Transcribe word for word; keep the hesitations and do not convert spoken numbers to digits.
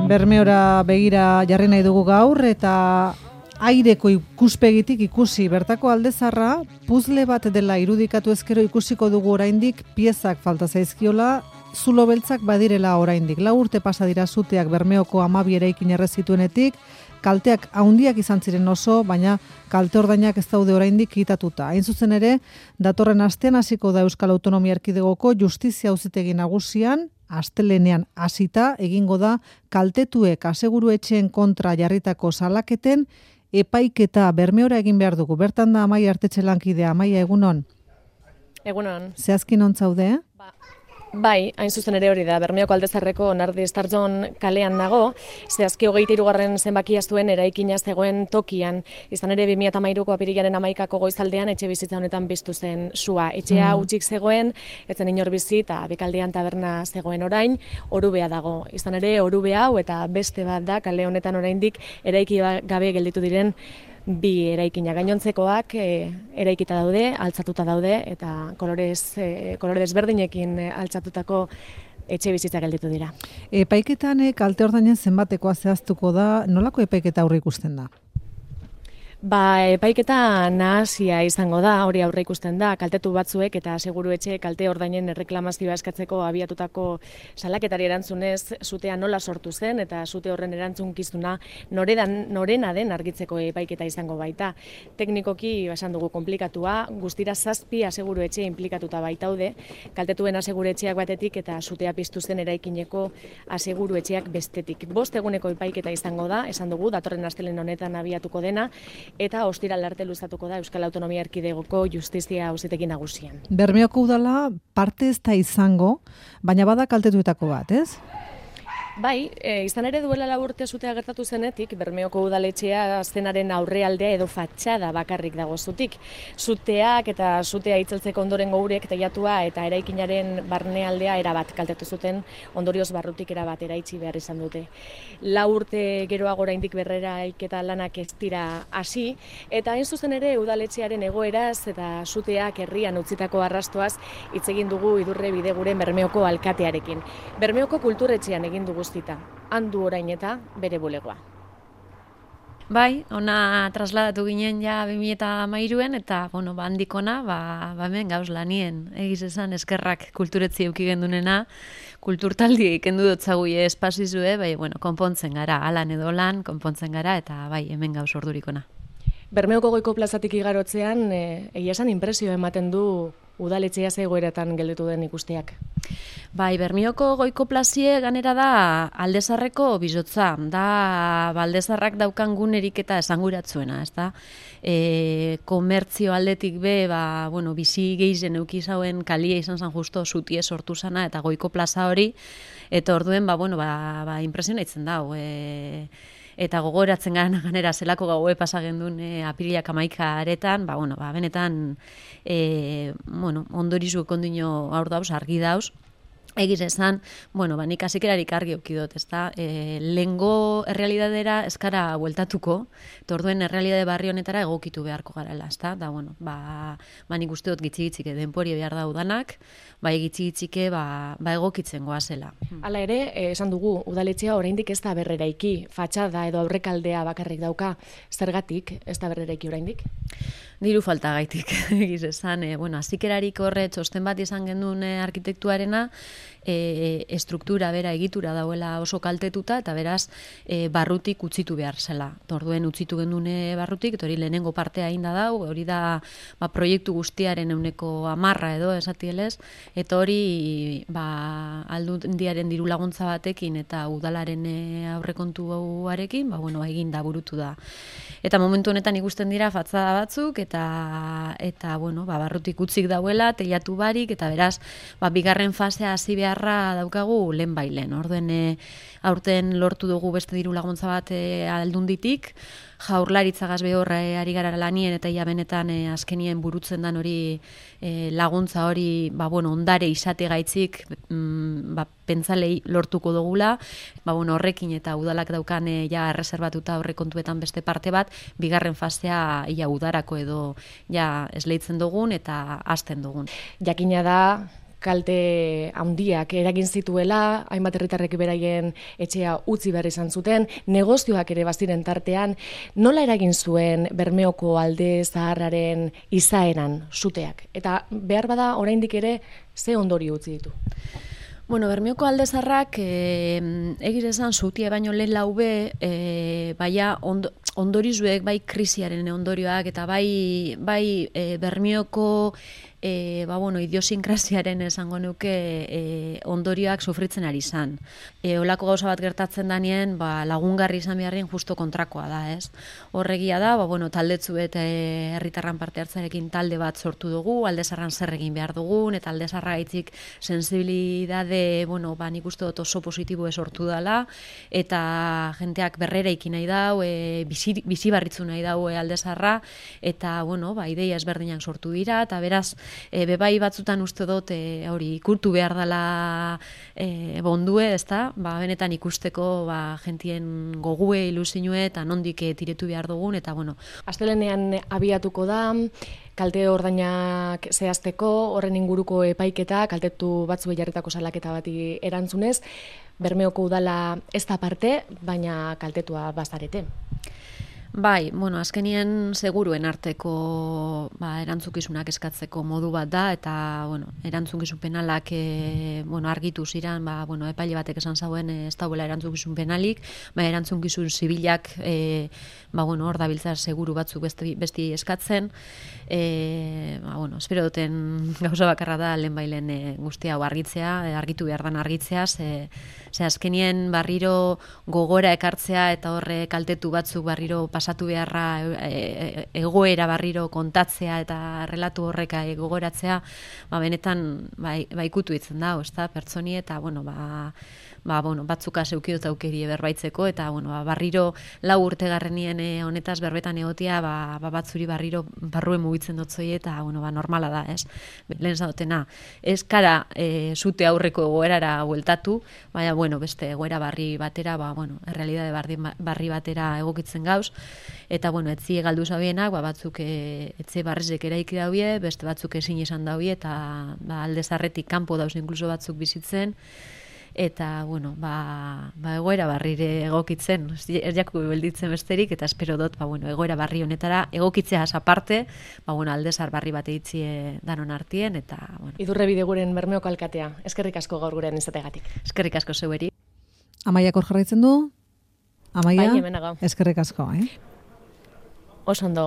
Bermeora begira jarri nahi dugu gaur eta aireko ikuspegitik ikusi bertako aldezarra puzle bat dela irudikatu ezkero ikusiko dugu oraindik piezak falta zaizkiola, zulo beltzak badirela oraindik. Lau urte pasa dira suteak Bermeoko hamabi eraikin erre zituenetik, kalteak handiak izan ziren oso, baina kalte ordainak ez daude oraindik kitatuta. Hain zuzen ere, datorren astean hasiko da Euskal Autonomia Erkidegoko Justizia Auzitegi Nagusian, astelenean hasita egingo da kaltetuek aseguruetxeen kontra jarritako salaketen epaiketa. Bermeora egin behar dugu. Bertan da Amaia Artetxe lankidea. Amaia, egunon? Egunon. Zehazkin ontzaude? Ba. Bai, hain zuzen ere hori da, Bermeoko Aldezarreko Nardi Estartzon kalean nago, zehazki hogeita hirugarren zenbakia zuen eraikina zegoen tokian, izan ere bi mila hamairuko apirilaren hamaikako goizaldean etxe bizitza honetan biztu zen sua. Etxea hutsik mm. zegoen, etzen inor bizi eta bekaldean taberna zegoen orain, orubea dago. Izan ere orube hau eta beste bat da kale honetan oraindik eraiki gabe gelditu diren bi eraikina gainontzekoak e, eraikita daude, altzatuta daude eta kolorez, e, kolore desberdinekin altzatutako etxe bizitza gelditu dira. Epaiketan kalte ordainen zenbatekoa zehaztuko da, nolako epaiketa aurre ikusten da? Ba, epaiketa nahasia izango da, hori aurre ikusten da, kaltetu batzuek eta seguruetxe kalte ordainen erreklamazioa eskatzeko abiatutako salaketari erantzunez sutea nola sortu zen eta sute horren erantzunkizuna noredan, norena den argitzeko epaiketa izango baita. Teknikoki esan dugu konplikatua, guztira zazpi aseguruetxe inplikatuta baitaude, kaltetuen aseguruetxeak batetik eta sutea piztu zen eraikineko aseguruetxeak bestetik. Bost eguneko epaiketa izango da, esan dugu, datorren astelen honetan abiatuko dena, eta ostiral arte luzatuko da Euskal Autonomia Erkidegoko Justizia Auzitegi Nagusian. Bermeoko udala parte ez da izango, baina bada kaltetuetako bat, ez? Bai, e, izan ere duela lau urte sutea gertatu zenetik, Bermeoko udaletxea zenaren aurrealdea edo fatxada bakarrik dago zutik. Suteak eta sutea itzeltzeko ondorengo urek teilatua eta eraikinaren barnealdea erabat kaltetu zuten, ondorioz barrutik erabat eraitsi behar izan dute. Lau urte geroago oraindik berreraiketa lanak ez dira hasi, eta hain zuzen ere udaletxearen egoeraz eta suteak herrian utzitako arrastoaz hitz egin dugu Idurre Bideguren Bermeoko alkatearekin. Bermeoko kulturetxean egin dugu guztita, handu orain eta bere bulegoa. Bai, ona trasladatu ginen ja bi mila hamairuen eta bueno, ba handikona, ba, ba hemen gauz lanien, egiz esan eskerrak kulturetzi eduki gendunena, kulturtaldi kendu dotzaguie espazizue, bai, bueno, konpontzen gara, alan edo lan, konpontzen gara eta bai, hemen gauz ordurikona. Bermeoko goiko plazatik igarotzean, e, egia esan inpresioa ematen du udaletxea zegoeratan gelditu den ikusteak. Bai, Bermeoko goiko plazie ganera da Aldezarreko bizotza, da Aldezarrak daukan gunerik eta esanguratzuena, ez da? E, komertzio aldetik be, ba, bueno, bizi gehien euki zauen kalia izan zan justo sutie sortu zana eta goiko plaza hori, eta orduen, ba, bueno, ba, ba impresionaitzen da, e, eta gogoratzen gara ganera zelako gaue pasagendun e, apirilak hamaika aretan, ba, bueno, ba, benetan e, bueno, ondorizu kondino aur dauz, argi dauz, egiz esan, bueno, ba, nik hasikerarik argi okidot, ez da, e, lehengo errealidadera eskara bueltatuko, torduen errealidade barri honetara egokitu beharko garela, ez da, da, bueno, ba, ba nik usteot gitzi-gitzike denpori behar da udanak, ba, gitzi-gitzike, ba, ba egokitzen goazela. Hala ere, eh, esan dugu, udaletxea oraindik ez da berreraiki, fatxada edo aurrekaldea bakarrik dauka, zergatik ez da berreraiki oraindik? Diru falta gaitik, egiz esan, e, bueno, azikerarik horre txosten bat izan gendun e, arkitektuarena, e, estruktura bera egitura dauela oso kaltetuta, eta beraz, e, barrutik utzitu behar zela. Orduen utzitu gendune barrutik, eta hori lehenengo partea inda dau, hori da ba, proiektu guztiaren euneko amarra edo, esatielez, eta hori ba, aldundiaren diru laguntza batekin eta udalaren e, aurrekontuarekin, ba, bueno, egin da burutu da. Eta momentu honetan ikusten dira fatzada batzuk, eta, eta bueno, ba, barrutik utzik dauela, teilatu barik, eta beraz, ba, bigarren fasea hasi beharra daukagu lehen bailen. Orduen, e, aurten lortu dugu beste diru laguntza bat e, aldunditik, Jaurlaritzagaz behor e, ari gara lanien eta ia benetan e, azkenien burutzen dan hori e, laguntza hori ba, bueno, ondare izate gaitzik mm, ba, pentzalei lortuko dugula, ba, bueno, horrekin eta udalak daukan e, ja erreserbatuta horrekontuetan beste parte bat, bigarren fasea ia udarako edo ja esleitzen dugun eta hasten dugun. Jakina da kalte handiak eragin zituela, hainbat herritarrek beraien etxea utzi behar izan zuten, negozioak ere baziren tartean, nola eragin zuen Bermeoko alde zaharraren izaeran suteak? Eta behar bada oraindik ere ze ondorio utzi ditu? Bueno, Bermeoko alde zaharrak eh, egiz esan zutie baino lehen laube, eh, baina ondo, ondorizuek, bai krisiaren ondorioak, eta bai, bai eh, Bermeoko E, ba, bueno, idiosinkrasiaren esango nuke e, ondorioak sufritzen ari izan. E, olako gauza bat gertatzen danien, ba, lagungarri izan beharren justo kontrakoa da, ez? Horregia da, ba, bueno, taldetzu eta herritarran parte hartzarekin talde bat sortu dugu, aldezarran zer egin behar dugun, eta aldezarra gaitzik sensibilidade, bueno, ba, nik uste dut oso positibo sortu dela, eta jenteak berrera ikin nahi dau, e, bizi, bizi barritzu nahi dau e, aldezarra, eta, bueno, ba, ideia ezberdinak sortu dira, eta beraz, E, bebai batzutan uste dut e, hori ikurtu behar dela e, bondue, ezta? Ba, benetan ikusteko ba, jentien gogue, ilusinue eta nondik e, tiretu behar dugun, eta bueno. Astelenean abiatuko da, kalte ordainak zehazteko, horren inguruko epaiketa, kaltetu batzuei jarritako salaketa bati erantzunez, Bermeoko udala ez da parte, baina kaltetua bazarete. Bai, bueno, azkenien seguruen arteko ba, erantzukizunak eskatzeko modu bat da, eta bueno, erantzukizun penalak e, bueno, argitu ziren, ba, bueno, epaile batek esan zauen e, ez dauela erantzukizun penalik, ba, erantzukizun zibilak e, ba, bueno, hor dabiltza seguru batzuk besti, besti eskatzen, e, ba, bueno, espero duten gauza bakarra da lehen bailen e, guztia hau argitzea, e, argitu behar dan argitzea, ze, ze azkenien barriro gogora ekartzea eta horre kaltetu batzuk barriro pasatu beharra e, egoera barriro kontatzea eta relatu horreka e, gogoratzea, ba, benetan ba, ba, ikutu itzen da, ezta, pertsoni eta bueno, ba, ba, bueno, batzuka zeukidot aukerie berbaitzeko, eta bueno, ba, barriro lau urtegarrenien e, honetaz berbetan egotia, ba, ba, batzuri barriro barruen mugitzen dotzoi, eta bueno, ba, normala da, ez? Lehen zadotena, ez kara e, zute aurreko egoerara bueltatu, baina, bueno, beste egoera barri batera, ba, bueno, errealidade barri, barri batera egokitzen gauz, eta, bueno, etzi galdu zabienak, ba, batzuk e, etze barrizek eraiki daue, beste batzuk ezin izan daue, eta ba, alde zarretik kanpo dauz inkluso batzuk bizitzen, eta, bueno, ba, ba egoera barrire egokitzen, ez jaku belditzen besterik, eta espero dut, ba, bueno, egoera barri honetara egokitzea aparte, ba, bueno, aldezar barri bat eitzie danon artien, eta, bueno. Idurre bideguren Bermeoko alkatea, eskerrik asko gaur gurean izategatik. Eskerrik asko zeueri. Amaiak hor jarraitzen du? Amaia, bai, hemen agau. Eskerrik asko, eh? Oso ondo.